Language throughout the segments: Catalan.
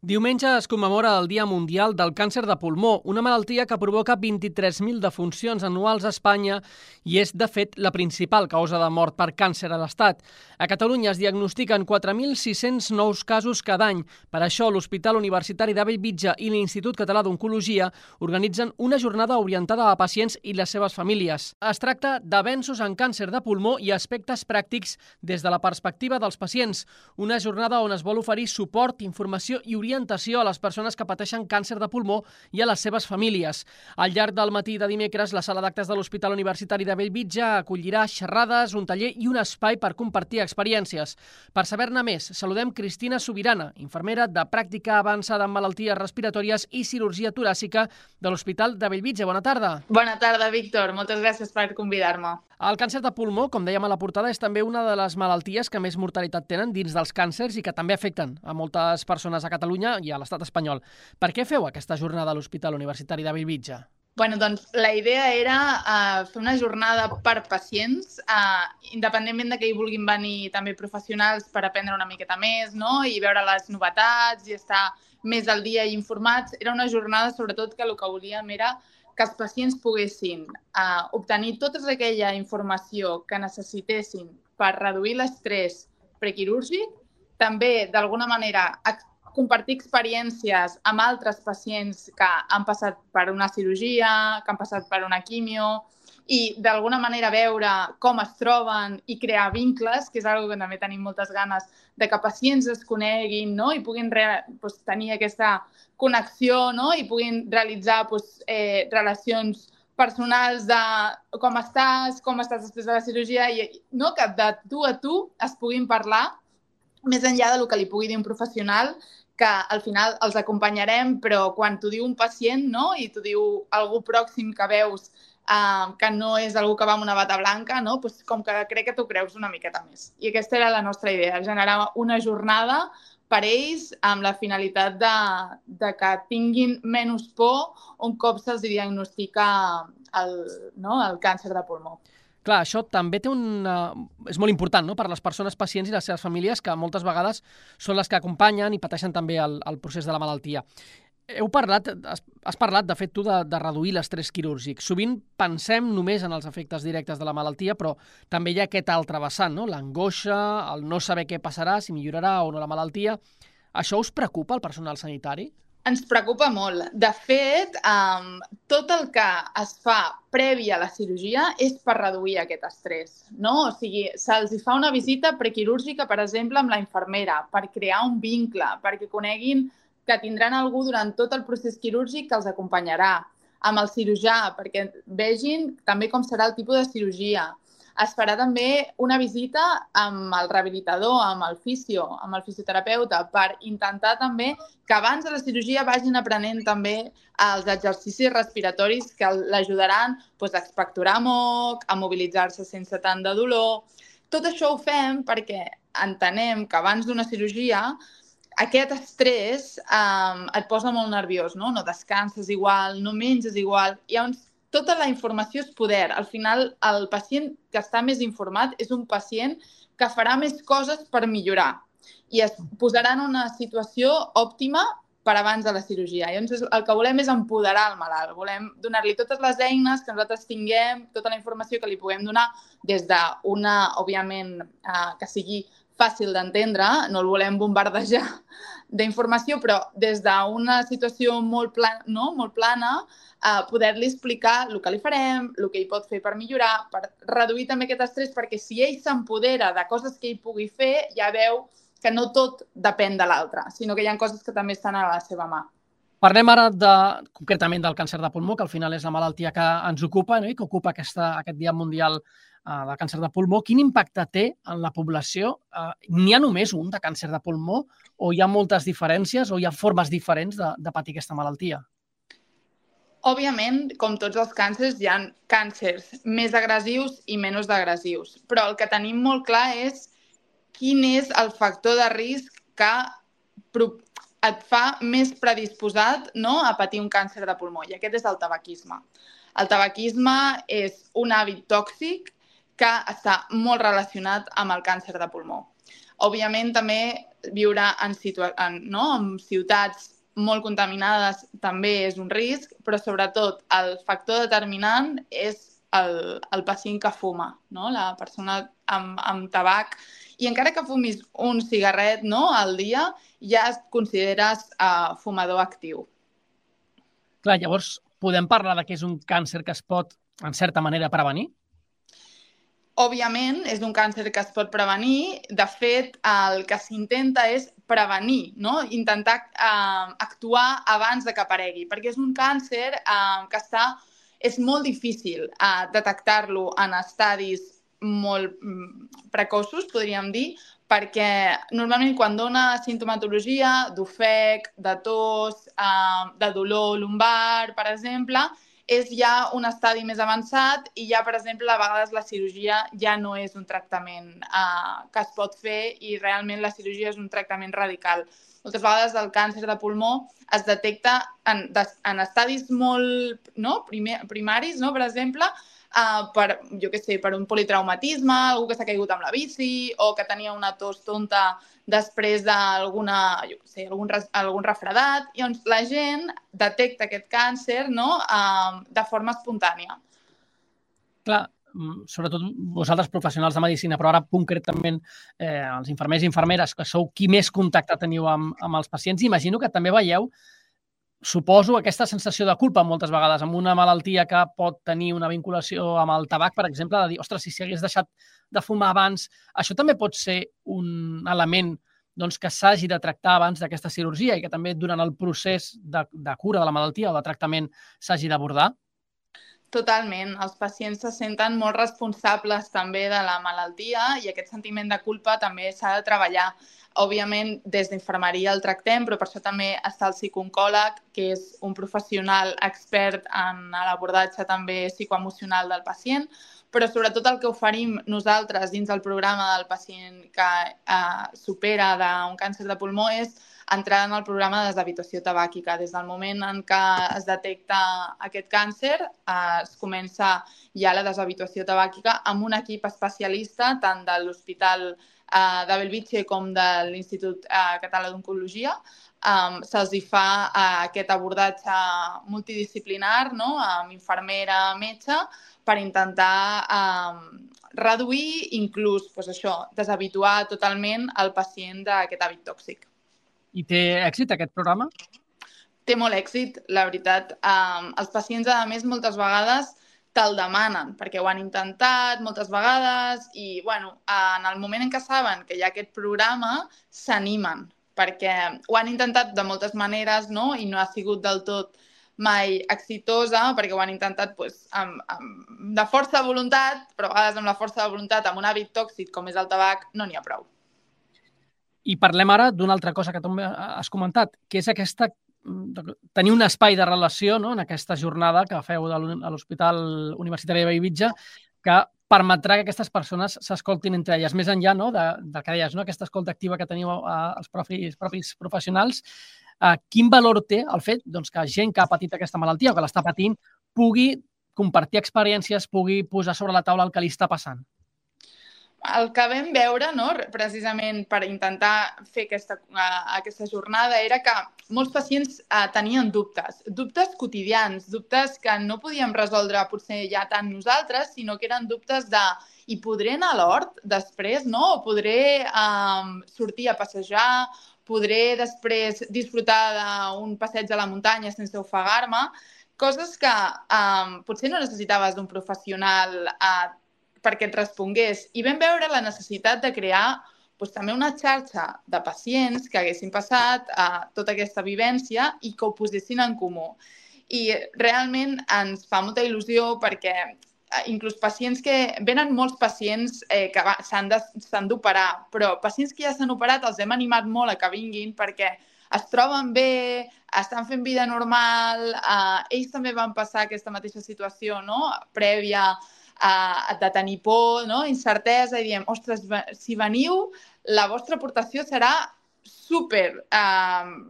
Diumenge es commemora el Dia Mundial del Càncer de Pulmó, una malaltia que provoca 23.000 defuncions anuals a Espanya i és, de fet, la principal causa de mort per càncer a l'Estat. A Catalunya es diagnostiquen 4.600 nous casos cada any. Per això, l'Hospital Universitari de Bellvitge i l'Institut Català d'Oncologia organitzen una jornada orientada a pacients i les seves famílies. Es tracta d'avenços en càncer de pulmó i aspectes pràctics des de la perspectiva dels pacients. Una jornada on es vol oferir suport, informació i orientació a les persones que pateixen càncer de pulmó i a les seves famílies. Al llarg del matí de dimecres, la sala d'actes de l'Hospital Universitari de Bellvitge acollirà xerrades, un taller i un espai per compartir experiències. Per saber-ne més, saludem Cristina Subirana, infermera de pràctica avançada en malalties respiratòries i cirurgia toràcica de l'Hospital de Bellvitge. Bona tarda. Bona tarda, Víctor. Moltes gràcies per convidar-me. El càncer de pulmó, com dèiem a la portada, és també una de les malalties que més mortalitat tenen dins dels càncers i que també afecten a moltes persones a Catalunya i a l'estat espanyol. Per què feu aquesta jornada a l'Hospital Universitari de Bellvitge? Doncs la idea era fer una jornada per pacients, independentment de que hi vulguin venir també professionals per aprendre una miqueta més, no? I veure les novetats i estar més al dia i informats. Era una jornada, sobretot, que el que volíem era que els pacients poguessin obtenir tota aquella informació que necessitessin per reduir l'estrès prequirúrgic, també, d'alguna manera, compartir experiències amb altres pacients que han passat per una cirurgia, que han passat per una quimio, i d'alguna manera veure com es troben i crear vincles, que és una cosa que també tenim moltes ganes de que pacients es coneguin, no? I puguin tenir aquesta connexió, no? I puguin realitzar relacions personals de com estàs després de la cirurgia, i no? Que de tu a tu es puguin parlar més enllà del que li pugui dir un professional, que al final els acompanyarem, però quan t'ho diu un pacient, no? I t'ho diu algú pròxim que veus que no és algú que va amb una bata blanca, no? Com que crec que t'ho creus una miqueta més. I aquesta era la nostra idea, generar una jornada per ells amb la finalitat de que tinguin menys por un cop se'ls diagnostica el càncer de pulmó. Clar, això també és molt important, no?, per a les persones pacients i les seves famílies, que moltes vegades són les que acompanyen i pateixen també el procés de la malaltia. Has parlat, de fet, tu, de reduir l'estrès quirúrgic. Sovint pensem només en els efectes directes de la malaltia, però també hi ha aquest altre vessant, no?, l'angoixa, el no saber què passarà, si millorarà o no la malaltia. Això us preocupa, el personal sanitari? Ens preocupa molt. De fet, tot el que es fa previ a la cirurgia és per reduir aquest estrès, no? O sigui, se'ls fa una visita prequirúrgica, per exemple, amb la infermera, per crear un vincle, perquè coneguin que tindran algú durant tot el procés quirúrgic que els acompanyarà, amb el cirurgià, perquè vegin també com serà el tipus de cirurgia. Es farà també una visita amb el rehabilitador, amb el fisioterapeuta, per intentar també que abans de la cirurgia vagin aprenent també els exercicis respiratoris que l'ajudaran a expectorar moc, a mobilitzar-se sense tant de dolor. Tot això ho fem perquè entenem que abans d'una cirurgia aquest estrès et posa molt nerviós, no? No descanses igual, no menges igual. Tota la informació és poder. Al final, el pacient que està més informat és un pacient que farà més coses per millorar i es posarà en una situació òptima per abans de la cirurgia. Llavors, el que volem és empoderar el malalt. Volem donar-li totes les eines que nosaltres tinguem, tota la informació que li puguem donar des d'una, òbviament, que sigui fàcil d'entendre, no el volem bombardejar d'informació, però des d'una situació molt plana, poder-li explicar el que li farem, el que ell pot fer per millorar, per reduir també aquest estrès, perquè si ell s'empodera de coses que ell pugui fer, ja veu que no tot depèn de l'altre, sinó que hi ha coses que també estan a la seva mà. Parlem ara concretament del càncer de pulmó, que al final és la malaltia que ens ocupa, no?, i que ocupa aquest Dia Mundial del Càncer de Pulmó. Quin impacte té en la població? N'hi ha només un de càncer de pulmó o hi ha moltes diferències o hi ha formes diferents de patir aquesta malaltia? Òbviament, com tots els càncers, hi ha càncers més agressius i menys agressius, però el que tenim molt clar és quin és el factor de risc que et fa més predisposat, no?, a patir un càncer de pulmó, i aquest és el tabaquisme. El tabaquisme és un hàbit tòxic que està molt relacionat amb el càncer de pulmó. Òbviament, també viure en ciutats molt contaminades també és un risc, però sobretot el factor determinant és el pacient que fuma, no? La persona amb tabac. I encara que fumis un cigarret, no, al dia, ja et consideres fumador actiu. Clar, llavors podem parlar de que és un càncer que es pot, en certa manera, prevenir? Òbviament, és un càncer que es pot prevenir. De fet, el que s'intenta és prevenir, no? Intentar actuar abans de que aparegui, perquè és un càncer que és molt difícil detectar-lo en estadis molt precoços, podríem dir, perquè normalment quan dona sintomatologia d'ofec, de tos, de dolor lumbar, per exemple, és ja un estadi més avançat i ja, per exemple, a vegades la cirurgia ja no és un tractament que es pot fer i realment la cirurgia és un tractament radical. Moltes vegades el càncer de pulmó es detecta en estadis molt primaris, no? Per exemple, per un politraumatisme, algú que s'ha caigut amb la bici o que tenia una tos tonta després d'algun refredat. I doncs la gent detecta aquest càncer, no? De forma espontània. Clar, sobretot vosaltres professionals de medicina, però ara concretament els infermers i infermeres, que sou qui més contacte teniu amb els pacients, imagino que també veieu, suposo, aquesta sensació de culpa moltes vegades amb una malaltia que pot tenir una vinculació amb el tabac, per exemple, de dir, ostres, si hagués deixat de fumar abans, això també pot ser un element que s'hagi de tractar abans d'aquesta cirurgia i que també durant el procés de cura de la malaltia o de tractament s'hagi d'abordar? Totalment. Els pacients se senten molt responsables també de la malaltia i aquest sentiment de culpa també s'ha de treballar. Òbviament, des d'infermeria el tractem, però per això també està el psicooncòleg, que és un professional expert en l'abordatge també psicoemocional del pacient, però sobretot el que oferim nosaltres dins del programa del pacient que supera d'un càncer de pulmó és entrar en el programa de deshabituació tabàquica. Des del moment en què es detecta aquest càncer, es comença ja la deshabituació tabàquica amb un equip especialista, tant de l'Hospital de Bellvitge com de l'Institut Català d'Oncologia. Se'ls fa aquest abordatge multidisciplinar, no? Amb infermera, metge, per intentar reduir, inclús deshabituar totalment el pacient d'aquest hàbit tòxic. I té èxit aquest programa? Té molt èxit, la veritat. Els pacients, a més, moltes vegades te'l demanen, perquè ho han intentat moltes vegades i, en el moment en què saben que hi ha aquest programa, s'animen, perquè ho han intentat de moltes maneres, no? I no ha sigut del tot mai exitosa, perquè ho han intentat de força de voluntat, però a vegades amb la força de voluntat, amb un hàbit tòxic com és el tabac, no n'hi ha prou. I parlem ara d'una altra cosa que també has comentat, que és tenir un espai de relació, no?, en aquesta jornada que feu a l'Hospital Universitari de Bellvitge, que permetrà que aquestes persones s'escoltin entre elles. Més enllà, no?, del que deies, no?, aquesta escolta activa que teniu els propis professionals, quin valor té el fet que gent que ha patit aquesta malaltia o que l'està patint pugui compartir experiències, pugui posar sobre la taula el que li està passant? El que vam veure, no, precisament per intentar fer aquesta jornada, era que molts pacients tenien dubtes quotidians, dubtes que no podíem resoldre potser ja tant nosaltres, sinó que eren dubtes de i podré anar a l'hort després, no? O podré sortir a passejar, podré després disfrutar d'un passeig a la muntanya sense ofegar-me, coses que potser no necessitaves d'un professional perquè et respongués. I vam veure la necessitat de crear també una xarxa de pacients que haguessin passat tota aquesta vivència i que ho posessin en comú. I realment ens fa molta il·lusió perquè inclús pacients venen molts pacients que s'han d'operar, però pacients que ja s'han operat els hem animat molt a que vinguin perquè es troben bé, estan fent vida normal, ells també van passar aquesta mateixa situació, no?, prèvia de tenir por, no?, incertesa, i diem, ostres, si veniu, la vostra aportació serà super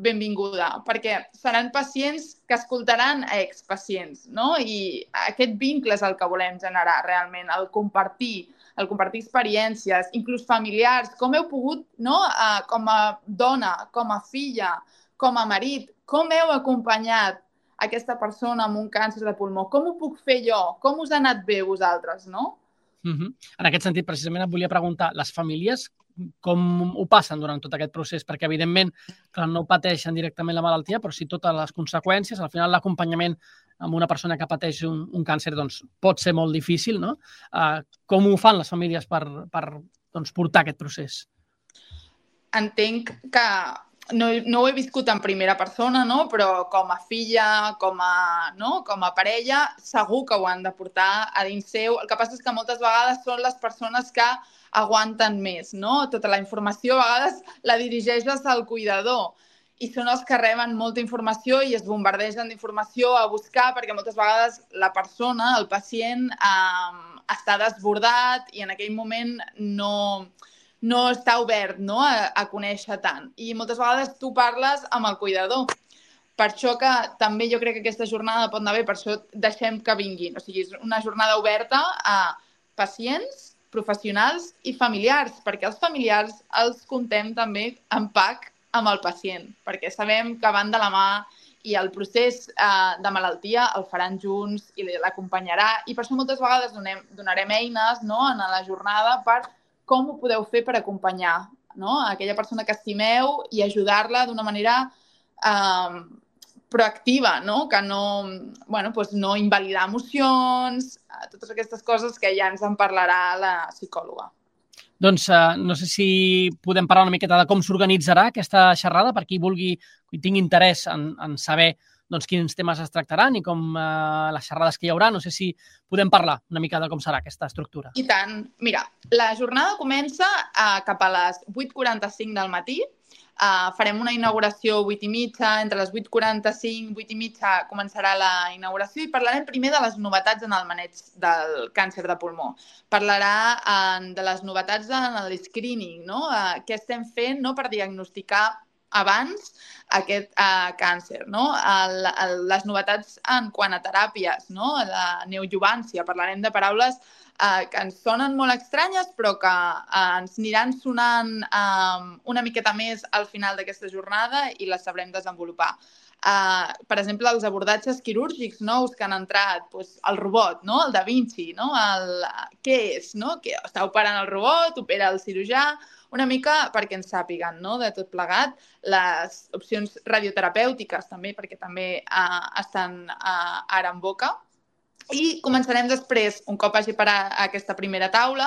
benvinguda, perquè seran pacients que escoltaran a expacients, no? I aquest vincle és el que volem generar realment, el compartir el compartir experiències, inclús familiars, com heu pogut, no? Com a dona, com a filla, com a marit, com heu acompanyat aquesta persona amb un càncer de pulmó? Com ho puc fer jo? Com us ha anat bé vosaltres, no? En aquest sentit, precisament et volia preguntar, les famílies com ho passen durant tot aquest procés? Perquè, evidentment, que no pateixen directament la malaltia, però sí totes les conseqüències. Al final, l'acompanyament amb una persona que pateix un càncer doncs, pot ser molt difícil, no? Com ho fan les famílies per portar aquest procés? Entenc que no ho he viscut en primera persona, no? Però com a filla, com a parella, segur que ho han de portar a dins seu. El que passa és que moltes vegades són les persones que aguanten més, no? Tota la informació a vegades la dirigeixes al cuidador i són els que reben molta informació i es bombardegen d'informació a buscar perquè moltes vegades la persona, el pacient, està desbordat i en aquell moment no està obert, no? a conèixer tant. I moltes vegades tu parles amb el cuidador. Per això que també jo crec que aquesta jornada pot anar bé, per això deixem que vinguin. O sigui, és una jornada oberta a pacients, professionals i familiars, perquè els familiars els contem també en PAC amb el pacient, perquè sabem que van de la mà i el procés de malaltia el faran junts i l'acompanyarà. I per això moltes vegades donarem eines, no? En la jornada per com ho podeu fer per acompanyar, no? Aquella persona que estimeu i ajudar-la d'una manera proactiva, no? Que no invalidar emocions, totes aquestes coses que ja ens en parlarà la psicòloga. Doncs no sé si podem parlar una miqueta de com s'organitzarà aquesta xerrada per qui tingui interès en saber quins temes es tractaran i com les xerrades que hi haurà. No sé si podem parlar una mica de com serà aquesta estructura. I tant. Mira, la jornada comença cap a les 8:45 del matí. Farem una inauguració 8:30, entre les 8:45 i 8:30 començarà la inauguració i parlarem primer de les novetats en el maneig del càncer de pulmó. Parlarà de les novetats en l'screening, no? Què estem fent, no? Per diagnosticar abans aquest càncer, no? Les novetats en quant a teràpies, no? La neoadjuvància, parlarem de paraules que ens sonen molt estranyes però que ens aniran sonant una miqueta més al final d'aquesta jornada i les sabrem desenvolupar. Per exemple, els abordatges quirúrgics nous que han entrat, el robot, no? El Da Vinci, no? Què és? No? Que està operant el robot, opera el cirurgià, una mica perquè ens sàpiguen, no? De tot plegat, les opcions radioterapèutiques també, perquè també estan ara en boca. I començarem després, un cop hagi parat aquesta primera taula,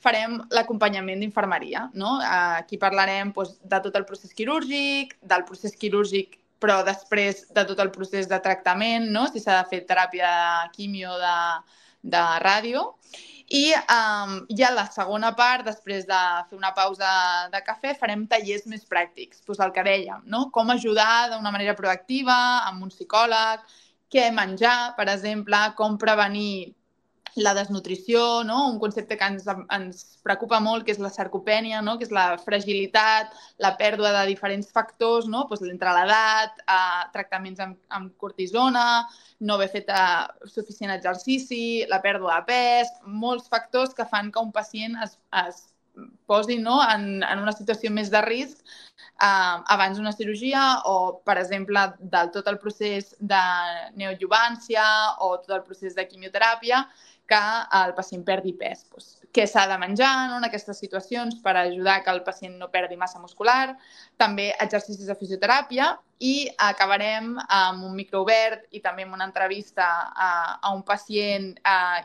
farem l'acompanyament d'infermeria, no? Aquí parlarem de tot el procés quirúrgic, del procés quirúrgic, però després de tot el procés de tractament, no? Si s'ha de fer teràpia de quimio, de ràdio. I ja la segona part, després de fer una pausa de cafè, farem tallers més pràctics, el que dèiem, no? Com ajudar d'una manera proactiva, amb un psicòleg, què menjar, per exemple, com prevenir la desnutrició, no? Un concepte que ens preocupa molt, que és la sarcopènia, no? Que és la fragilitat, la pèrdua de diferents factors, no? Entre l'edat, tractaments amb cortisona, no haver fet suficient exercici, la pèrdua de pes, molts factors que fan que un pacient es posi, no? en una situació més de risc abans d'una cirurgia o, per exemple, del tot el procés de neoadjuvància o tot el procés de quimioteràpia, que el pacient perdi pes. Què s'ha de menjar, no? En aquestes situacions per ajudar que el pacient no perdi massa muscular, també exercicis de fisioteràpia i acabarem amb un microobert i també amb una entrevista a un pacient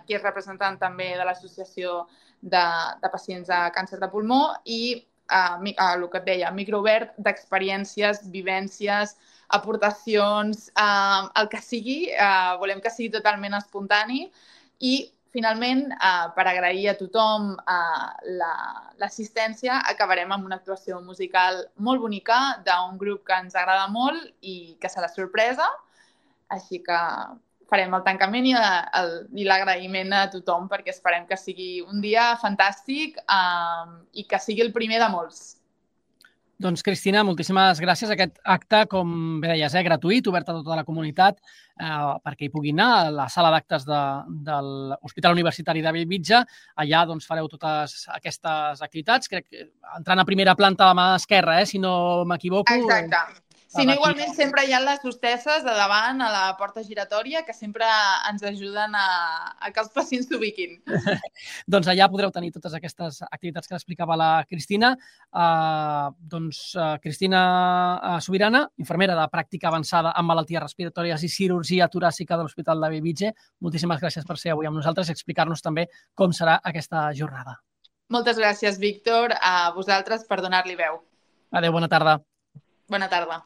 que és representant també de l'associació de pacients de càncer de pulmó i el que et deia, microobert d'experiències, vivències, aportacions, el que sigui, volem que sigui totalment espontani i finalment, per agrair a tothom l'assistència, acabarem amb una actuació musical molt bonica d'un grup que ens agrada molt i que serà sorpresa, així que farem el tancament i l'agraïment a tothom perquè esperem que sigui un dia fantàstic i que sigui el primer de molts. Doncs, Cristina, moltíssimes gràcies. Aquest acte, com bé deies, gratuït, obert a tota la comunitat, perquè hi pugui anar a la sala d'actes de l'Hospital Universitari de Bellvitge. Allà doncs, fareu totes aquestes activitats. Crec que entrant a primera planta a la mà esquerra, si no m'equivoco. Exacte. Si no, igualment sempre hi ha les hostesses de davant a la porta giratòria que sempre ens ajuden a que els pacients s'ubiquin. Doncs allà podreu tenir totes aquestes activitats que explicava la Cristina. Cristina Subirana, infermera de pràctica avançada en malalties respiratòries i cirurgia toràcica de l'Hospital de Bellvitge. Moltíssimes gràcies per ser avui amb nosaltres i explicar-nos també com serà aquesta jornada. Moltes gràcies, Víctor, a vosaltres per donar-li veu. Adéu, bona tarda. Bona tarda.